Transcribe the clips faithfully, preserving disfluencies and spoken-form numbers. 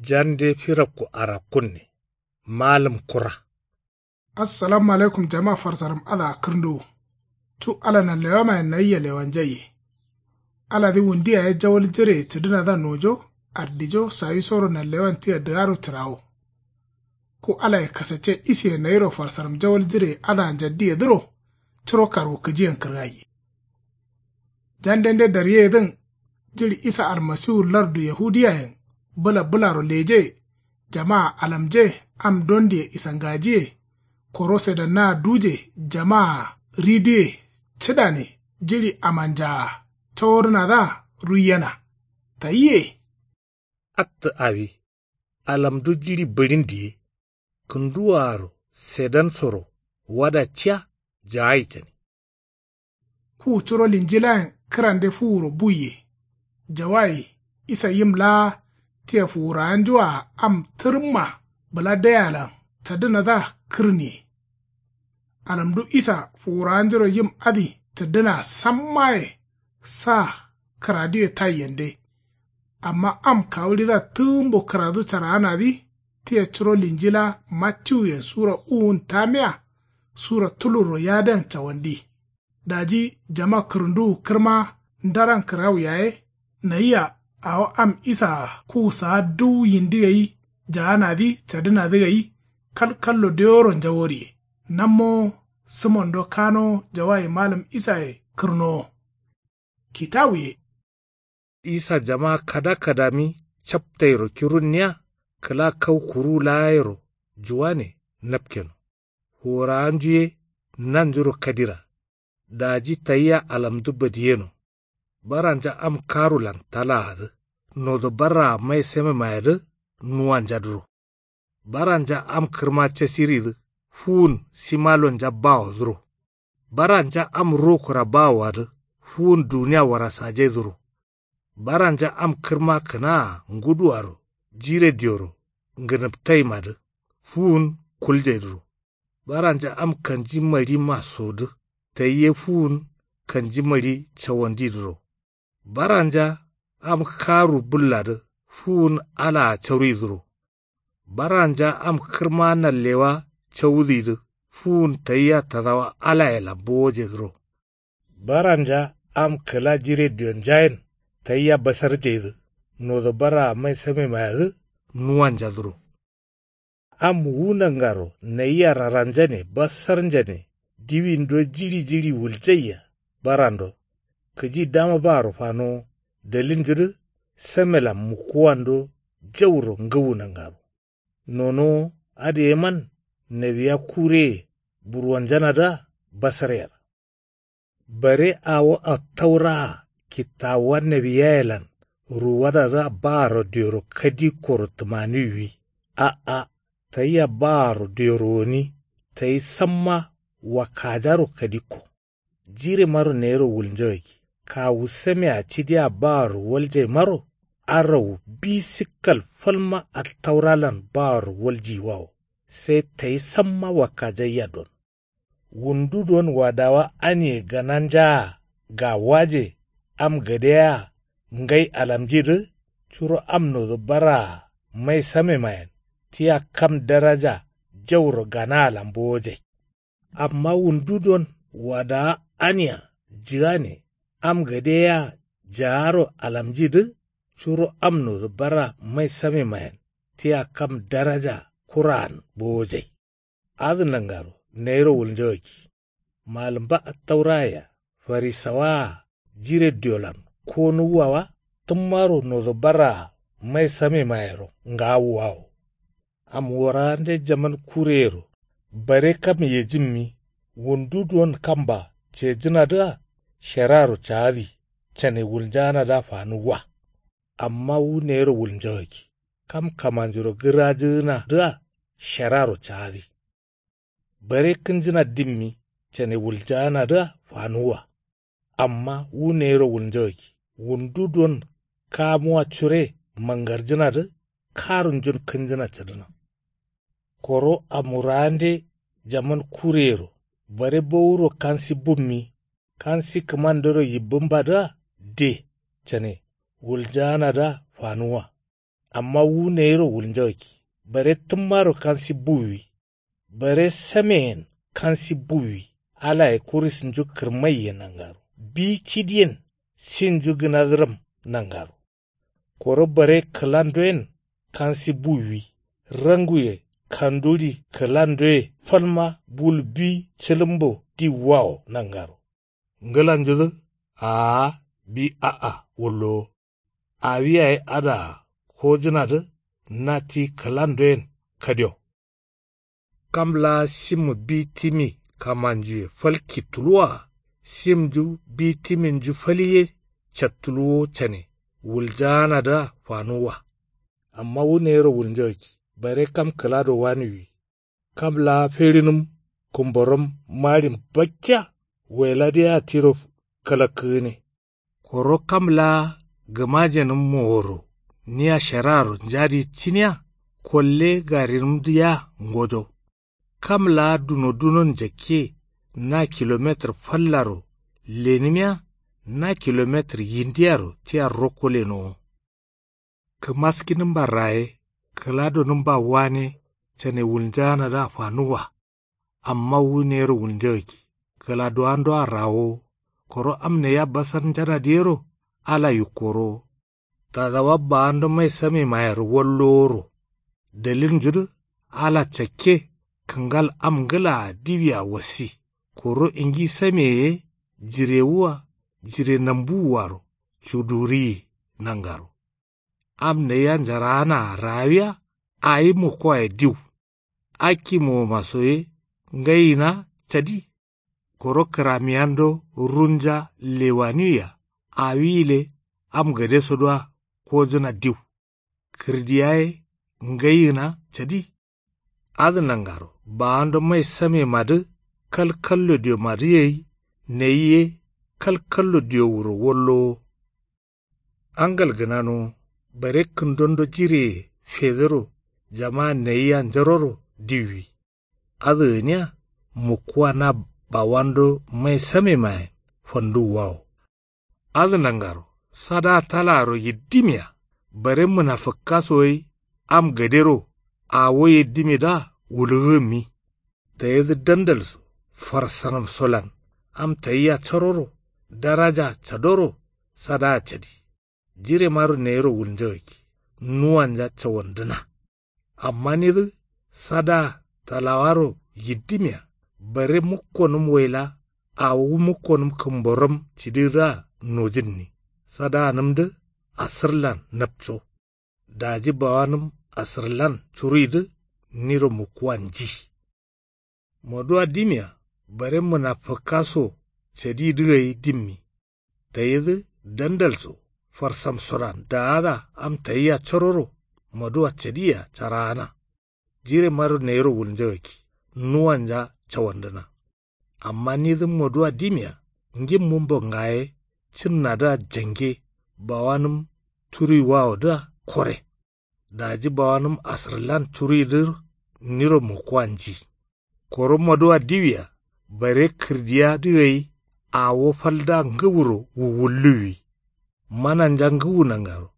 Jande firakku arakkunne. Malǝm kura. Assalamu alaikum jama farsaram adǝa kǝrnduwu. Cu ala nanlewamayen nayia lewanjaiye. Aladǝ wundu yaye jawal jireye cǝdǝnadǝa nojo ardijo sawisoro nanlewan tia dǝgaro cǝrawo. Ku alaye kasacce isiye nayiro farsaram jawal jireye adǝa njaddiyedǝro. Curo karwukǝjiyen kǝrgaiye. Jandende daryeyedǝn jiɍi isa almasiwu lardu yahudiyayen bǝla bǝlaro leje. Jamaa alamje am dondiye isangajiye. Koro sedannaa duje jamaa riduye cǝdane jiɍi amanjaa cawodǝnadǝa ruiyena. Tayiye. Attǝ awi alamdu jiɍi bǝɍin diye. Kǝnduwoaro sedansoro wada ciya jaayi cani. Ku curo linjilayen kǝrande fuwuro buiye. Jawayi isa yim laa tia fuwurawanju-a am tǝrǝmma bǝla daialan cadǝnadǝa kǝrniye. Alamdu isa fuwurawanjuro yim adǝ cǝddǝnaa sammaye sa kǝraduye taiyende. Amma am kawuɍidǝa tǝgǝmbo kǝradu caraanadǝ tia curo linji laa mattiwuyen sura uwun tamiya sura tulurro yadǝan cawandi. Daji jama kǝrǝnduwu kǝrma ndaran kǝrawu yaye. Nayia awo am isaa kuwu saa duwu yindi gai jaanadǝ cadǝnadǝ gai. Kalkallo deworo njaworiye. Nammowo sǝmondo kanowo jawayi malǝm isaye kǝrnowo. Kitawuye. Isa jama kada kadami captairo kirunniya kǝla kau kuruwu laayero juwane napkeno. Fuwurawanju ye nanjuro kadira. Daji tayia alamdu badiyeno. Baranja am karulan talaadǝ nodo barraa mai samemayedǝ nuwanjadǝro. Baranja am kǝrma casiridǝ fuwun simalonja bawodǝro. Baranja am rokura bawoadǝ fuwun duniya warasajaidǝro. Baranja am kǝrma kǝnaa nguduwaro jire dioro ngǝnǝptaimadǝ fuwun kuljaidǝro. Baranja am kanji maɍi masodǝ tayi ye fuwun kanji maɍi cawandidǝro. Baranja am karu bǝlladǝ fuwun alaa caruidǝro. Baranja am kǝrma nallewa cawudǝyidǝ fuwun tayia tadawa alayelan bowojedǝro. Baranja am kǝla jire dionjayen tayia basarjeidǝ nodo barraa mai samemayedǝ nuwanjadǝro. Am wu nangaro nayia raranjane basarnjane diwindo jiɍi jiɍi wuljaiya barando. Kǝji dama baaro fanowo dalilnjudǝ samelan mukkuwando jauro ngǝwu nangaro. Nonowo adǝ yeman nawiya kureye burwanjanadǝa basaryer. Bare awo attauraa kittawuwa nawiyayelan ruwadadǝa baaro dioro kadikkoro tǝmaniwwi. A'a tayia baaro dioro gǝni tayi samma wakkajaro kadikko. Jiremaro nayiro wulnjagakki kawu samea cidia baaro waljaimaro. Arawu bi sikkal falma attauralan baaro waljiyiwawo. Sai tayi samma wakkajaiya don. Wundu don wadawa aniye gananjaa gawaje am gade yea ngai alamjidǝ curo am nodo barraa mai samemayen tia kam daraja jauro ganaalan bowojai. Amma wundu don wadawa ania jǝgane am gade yea jaaro alamjidǝ curo am nodo barraa mai samemayen tia kam daraja kuraan bowojai. Adǝ nangaro nayiro wulnjagakki. Malǝmba attaurayea farisawaa jire diolan konuwwa wa tǝmmaro nodo barraa mai samemayero ngaawuwawo. Am wuraande jaman kureyero bare kam yejǝmmi wundu duwon kamba cejǝnadǝa sheraro caadi cane wulnjaanadǝa fanuwwa. Amma wu nayiro wulnjagakki kam kamanjuro gǝrajǝgǝnadǝa sheraro caadi. Bare kǝnjǝna dimmi cane wuljaanadǝa fanuwwa. Amma wu nayiro wulnjagakki wundu duwon kamuwa cure mangarjǝnadǝ karunjun kǝnjǝna cǝdǝna. Koro amuraande jaman kureyero bare bowuro kansi bummi kansi kǝmandero yibbǝmbadǝa de cane wuljaanadǝa fanuwwa. Amma wu nayiro wulnjagakki. Bare tǝmmaro kansi buwwi. Bare sameyen kansi buwwi. Alaye kurisnju kǝrmaiye nangaro bi cidiyen. Sinju gǝnazǝram nangaro. Koro bare kǝlandoyen kansi buwwi. Ranguye kanduri kǝlandoye falma bul bi cǝlǝmbo diwwawo nangaro. Ngǝlanjudǝ. Aa bi a'a wullowo. Awi yayi adǝa kojǝnadǝ. Na ti kǝlandoyen kadio. Kam laa simmu bi timi kamanjuye falki tuluwaa. Simnju bi timinju fal ye cattuluwo cane wuljaanadǝa fanuwwa. Amma wu nayiro wulnjagakki. Bare kam kǝlado waniwwi. Kam laa ferinǝm kǝmboram maɍin bakkiya. Waila dǝ yea tiro kǝlakkǝgǝne. Koro kam laa gǝmajenǝm moworo nia sharaaro njadi cǝniya. Kolle garinǝmdǝ yea ngojo. Kam laa dunodunon jakke na kilometir fallaro lenǝmiya. Na kilometir yindiyaro tia rokko lenowo. Kǝmaskinǝmba raye kǝladonǝmba wane cane wulnjaanadǝa fanuwwa. Amma wu nayiro wulnjagakki. Kǝladowandoa rawowo. Koro am nayia basarnjanadǝ yero ala yukkorowo. Tadawa bawando mai samemayero walloworo. Dalilnjudǝ ala cakke kǝngal am ngǝlaa diwia wassi. Koro ingi sameye ye jirewua jire nambuwuaro cuduriyi nangaro. Am nayia njaraanaa raawiya. Awi mukkowaye diw. Akki mowoma so ye ngayina cadi. Koro kǝramiyando runja lewaniwia. Awi gǝle am gadesodǝa kojǝna diw. Kǝrdiya ye ngayina cadi. Adǝ nangaro bawando mai samemadǝ kalkallo diomadǝ gai. Nayi ye kalkallo diowuro wallowo. Angal gǝnanowo bare kǝndondo jireye fedǝro jamaa nayia njaroro diwwi. Adǝ gǝniya mukkuwa na bawando mai samemayen fanduwwawo. Adǝ nangaro sadaa talaaro yiddimiya. Bare mǝnafǝkka so gai am gadero awo yiddimidǝa wulugǝgǝmmi. Tayidǝ dandal so farsanǝm solan am tayia caroro daraja cadoro sadaa cadi. Jiremaro nayiro wulnjagakki nuwanja cawandǝna. Amma nidǝ sadaa talawaro yiddimiya bare mukkonǝm waila awo mukkonǝm kǝmboram cididǝa nojǝnni. Sadaanǝmdǝ asǝrlan napco. Daji bawanǝm asǝrlan curuidǝ niro mukkuwa nji. Moduwa dimiya bare mǝnafǝkka so cadidǝ gai dimmi. Tayidǝ dandal so farsam sodan daada am tayia cororo moduwa cadiya caraana. Jiremaro nayiro wulnjagakki nuwanja cawandǝna. Amma nidǝ moduwa dimiya ngimmunbo ngaye cǝnnadǝa jange bawanǝm turuiwawodǝa kore. Daji bawanǝm asǝrlan curuidǝ niro mukkuwa nji. Koro moduwa diwia bare kǝrdiyadǝ gai awo faldǝa ngǝwuro wuwulluwwi. Mananja ngǝwu nangaro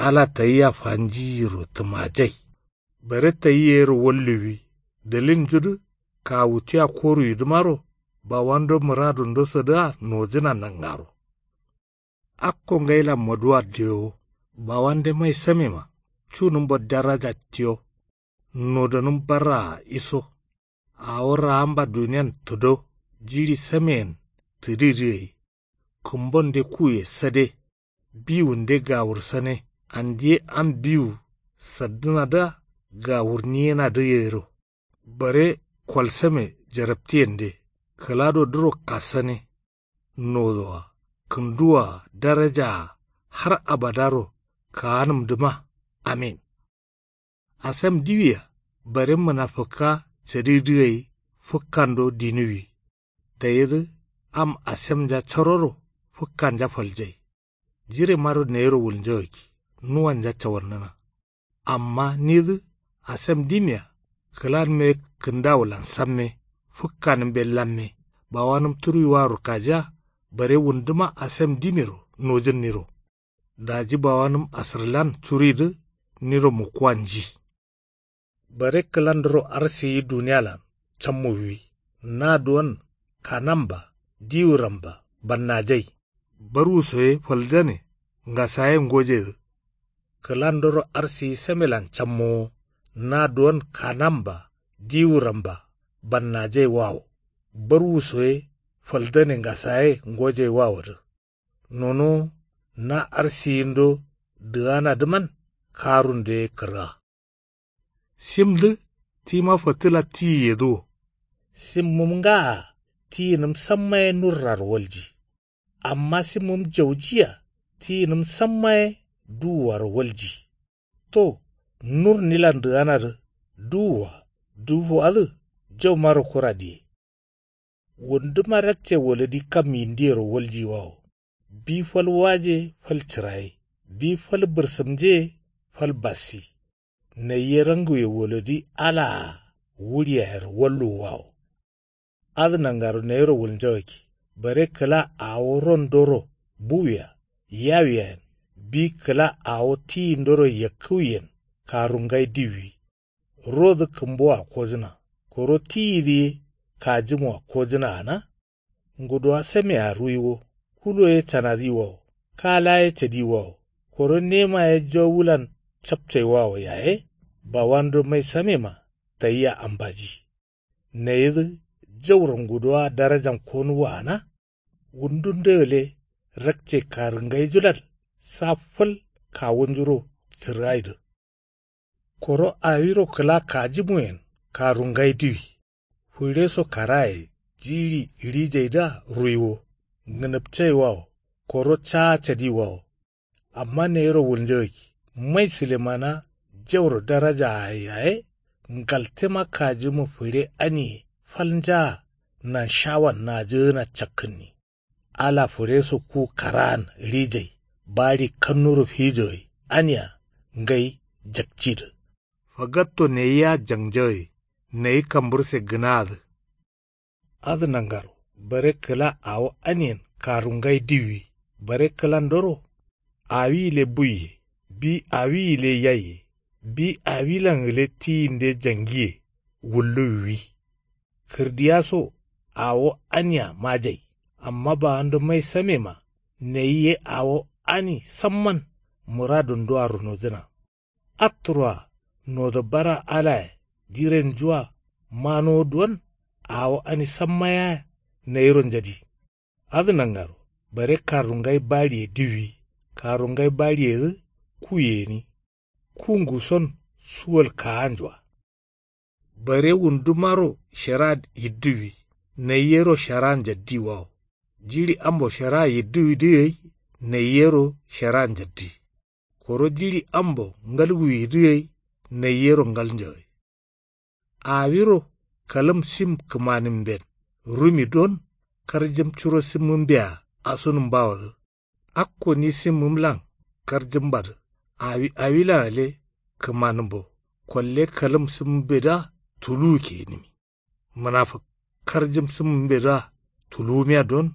ala tayia fanjiyiro tǝmajai. Bare tayi yero walluwwi dalilnjudǝ kawu tia koruwidǝmaro bawando mǝradundosodǝa nojǝna nangaro. Akko ngailan moduwa diyowo bawande mai samema cunǝmbo daraja tiyo. Nodonǝm barraa iso. Awo raamba duniyan tǝdo jiɍi sameyen tǝdidǝ gai. Kǝmbonde kuye sade. Biwunde gawursane. Andiye am biwu saddǝnadǝa gawurniyenadǝ gairo. Bare kolsame jaraptiyende kǝladodǝro kassane. Nodoa kǝnduwaa darajaa har abadaro kaanǝmdǝma. Amin. Asem diwia bare mǝnafǝkka cadidǝ gai fǝkkando dinuwwi. Tayidǝ am asemnja caroro fǝkkanja faljai. Jiremaro nayiro wulnjagakki nuwanja cawannǝna. Amma nidǝ asem dimia kǝlanme kǝndawulan samme fǝkkanǝmbe lamme. Bawanǝm turuiwaro kajiya bare wunduma asem dimiro nojǝnniro. Daji bawanǝm asǝrlan curuidǝ niro mukkuwa nji. Bare kǝlandoro arsiyi duniyalan cammuwwi. Na duwon kanamba diwuramba bannajai. Barwuso ye faldane ngasaye ngojeyedǝ. Kǝlandoro arsiyi samelan cammowo. Na duwon kanamba diwuramba bannajai wawo. Barwuso ye faldane ngasaye ngojai wawodǝ. Nono na arsiyindo dǝganadǝman karundoye kǝrga. Simdǝ tima fǝtǝla tiyiyedǝ wo. Simmǝm ngaa tiyinǝm samma ye nurraro walji. Amma simmǝm jaujiya tiyinǝm samma ye duwuwaro walji. To nur nilan dǝganadǝ duwuwa duwufuwadǝ jaumaro kura diye. Wunduma rakce waladi kam yindiyero waljiwawo. Bi fal waje fal cǝraye. Bi fal bǝrsǝmje fal bassi. Naiye ranguye waladi alaa wuɍiyayero walluwwawo. Adǝ nangaro nayiro wulnjagakki. Bare kǝla awo rondoro buwiya yawiyayen. Bi kǝla awo tiyindoro yakkǝwiyen karungai diwwi. Rodǝ kǝmboa kojǝna. Koro tiyidǝ ye kajǝmoa kojǝna gǝna. Ngudowa samea ruiwo. Kulo ye canadiwawo. Kala ye cadiwawo. Koro nema ye jowulan capcaiwawo yaye. Bawando mai samema tayia ambaji. Nayidǝ jauro ngudowa darajam konuwa gǝna. Wundunde gǝle rakce karǝngaijulan sa fal kawunjuro cǝrgaidǝ. Koro awiro kǝla kajǝmuyen karungai diwi. Fǝreso karaye jiɍi ɍijaidǝa ruiwo. Ngǝnǝpcaiwawo. Koro caa cadiwawo. Amma nayiro wulnjagakki. Mai sǝlemana jauro darajaaye yaye. Ngaltema kajǝmu fǝre aniye falnjaa nanshawan najǝgǝna cakkǝnni. Ala fǝreso ku karaan ɍijai. Baɍi kannuro fijogai ania ngai jakcidǝ. Fagatto nayia jangjagai. Nayi kambǝrse gǝnaadǝ. Adǝ nangaro bare kǝla awo aniyen karungai diwwi. Bare kǝlandoro awi gǝle buiye. Bi awi gǝle yaiye. Bi awilan gǝle tiyinde jangiye. Wulluwwi. Kǝrdiyaso awo ania majai. Amma bawando mai samema nayi ye awo ani samman muradundua runodǝna. Atturoa nodo bara alaye jirenjua manowo duwon. Awo ani samma yea nayiro njadi. Adǝ nangaro bare karungai baɍiye diwwi. Karungai baɍiyedǝ ku gǝni. Ku nguson suwal kaanjua. Bare wundumaro shara yidduwi. Nayi yero shara njaddiwawo. Jiɍi ambo shara yidduwidǝ gai. Nayi yero shara njaddi. Koro jiɍi ambo ngalwuyidǝ gai. Nayi yero ngalnjagǝ. Awiro kalǝm sim kǝmanǝmben rumi don karjǝm curo simmǝmbea asunǝmbawodǝ. Akko ni simmǝmlan karjǝmbadǝ awi awilan gǝle kǝmanǝmbo. Kolle kalǝm simmǝmbedǝa tuluwu keyinǝmi. Mǝnafǝk karjǝm simmǝmbedǝa tuluwumiya don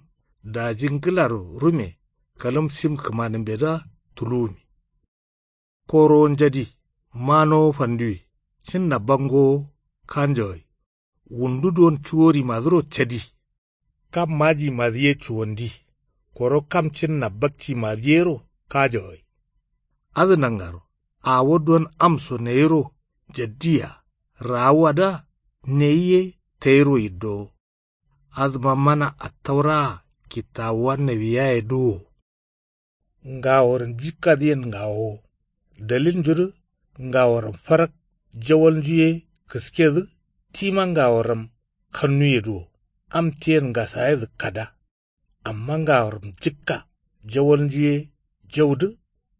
daji ngǝlaro rume kalǝm sim kǝmanǝmbedǝa tuluwumi. Korowo njadi manowo fanduwi. Cinna bangowo kanjogai. Wundu don cuworimadǝro cadi. Kam majimadǝ ye cuwandi. Koro kam cinna bakcimadǝ yero kajogai. Adǝ nangaro awo don amso nayiro jaddiya. Rawuwadǝa nayi ye tayiro yiddowo. Adǝma mana attauraa kittawuwa nawiyaye duwo. Ngaworam jikkadǝyen ngawowo. Dalilnjudǝ ngaworam farak jawalnju ye kǝskedǝ. Tima ngaworam kannuye duwo. Am tiyen ngasayedǝ kada. Amma ngaworam jikka jawalnju ye jaudǝ.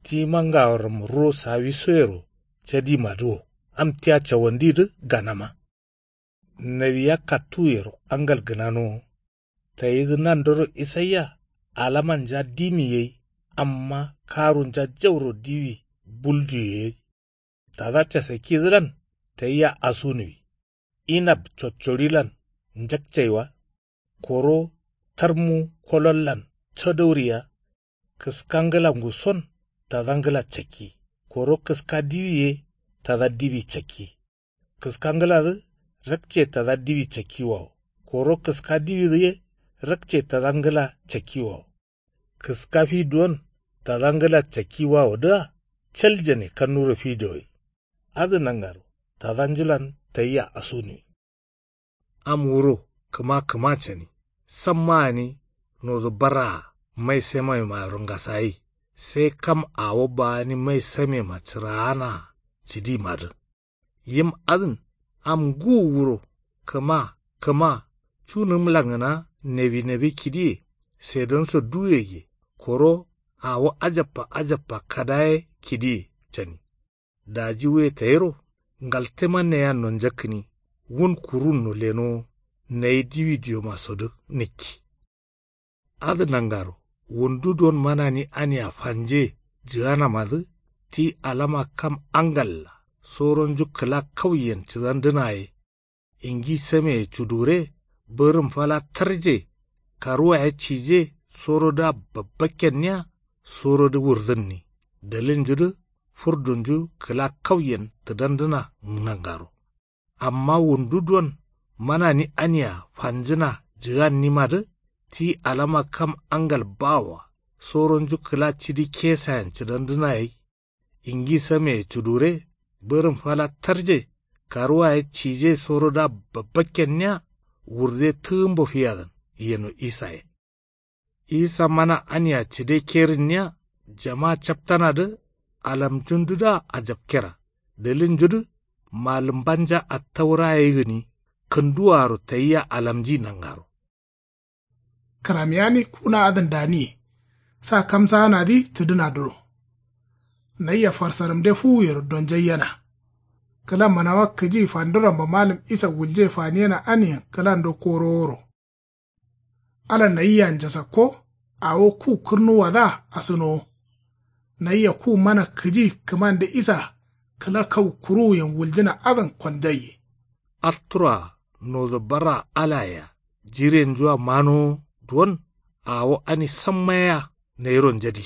Tima ngaworam ro sawisoyero cadimadǝ wo. Am tia cawandidǝ ganama. Nawiya kattuwuyero angal gǝnanowo. Tayidǝ nandoro isaiya alamanja dimi gai. Amma karunja jauro diwi buljuye gai. Tada casakkidǝlan tayia asunuwi. Inab cocorilan njakcaiwa. Koro tarmu kolollan cadauriya. Kǝskangǝla nguson tadangǝla cakki. koro kǝska diwi ye tada diwi cakki. Kǝska ngǝladǝ rakce tada diwi cakki wawo. Koro kǝska diwidǝ ye rakce tada ngǝla cakki wawo. Kǝska fi duwon tada ngǝla cakki wawodǝa caljane kannuro fi jawai. Adǝ nangaro tadanjulan tayia asunuwi. Am wuro kǝma kǝma cani. Samma gǝni nodǝ barraa mai samemairo ngasayi. Sai kam awo ba gǝni mai samema cǝraanaa cǝdimadǝ. Yim adǝn am ngǝwu wuro kǝma kǝma cunǝm langǝna nebi nebi kidiye. Sedonso duwegǝye koro awo ajabba ajabba kada ye kidiye cani. Daji wuye tayiro ngaltema nayia nonjakkǝni. Wun kurunno lenowo nayi diwi diomasodǝ nǝkki. Adǝ nangaro wundu don manani ania fanje jǝganamadǝ ti alama kam angalla soronju kǝla kauyen cǝdandǝna ye. Ingi sameye cudure bǝrǝm fala tarje karuwa ye cije sorodǝa babbakkenniya sorodǝ wurdǝnni. Dalilnjudǝ furdunju kǝla kauyen tǝdandǝna nangaro. Amma wundu don manani ania fanjǝna jǝgannimadǝ ti alama kam angal bawoa soronju kǝla cidi kesayen cǝdandǝna gai. Ingi sameye cudure bǝrǝm fala tarje karuwa ye cije sorodǝa babbakkenniya. Wurde tǝgǝmbo fiyadan yeno isaye. Isa mana ania cǝde kerǝnniya jama captanadǝ alamjundudǝa ajapkera. Dalilnjudǝ malǝmbanja attaura ye gǝni kǝnduwaro tayia alamji nangaro. Kǝramiyani kuna adǝn daniye sa kamsaanadǝ cǝdǝnadǝro. Nayia farsaramde fuwuyero donjaiyena. Kǝla manawa kǝji fanduramba malǝm isa wulje faniyena aniyen kǝlando koroworo. Ala nayia njasakko awo ku kǝrnuwadǝa asǝnowo. Nayia ku mana kǝji kǝmande isa kǝla kau kuruwuyen wuljǝna adǝn koljaiye. Atturoa nodo barra alayea jirenjua manowo duwon awo ani samma yea nayiro njadi.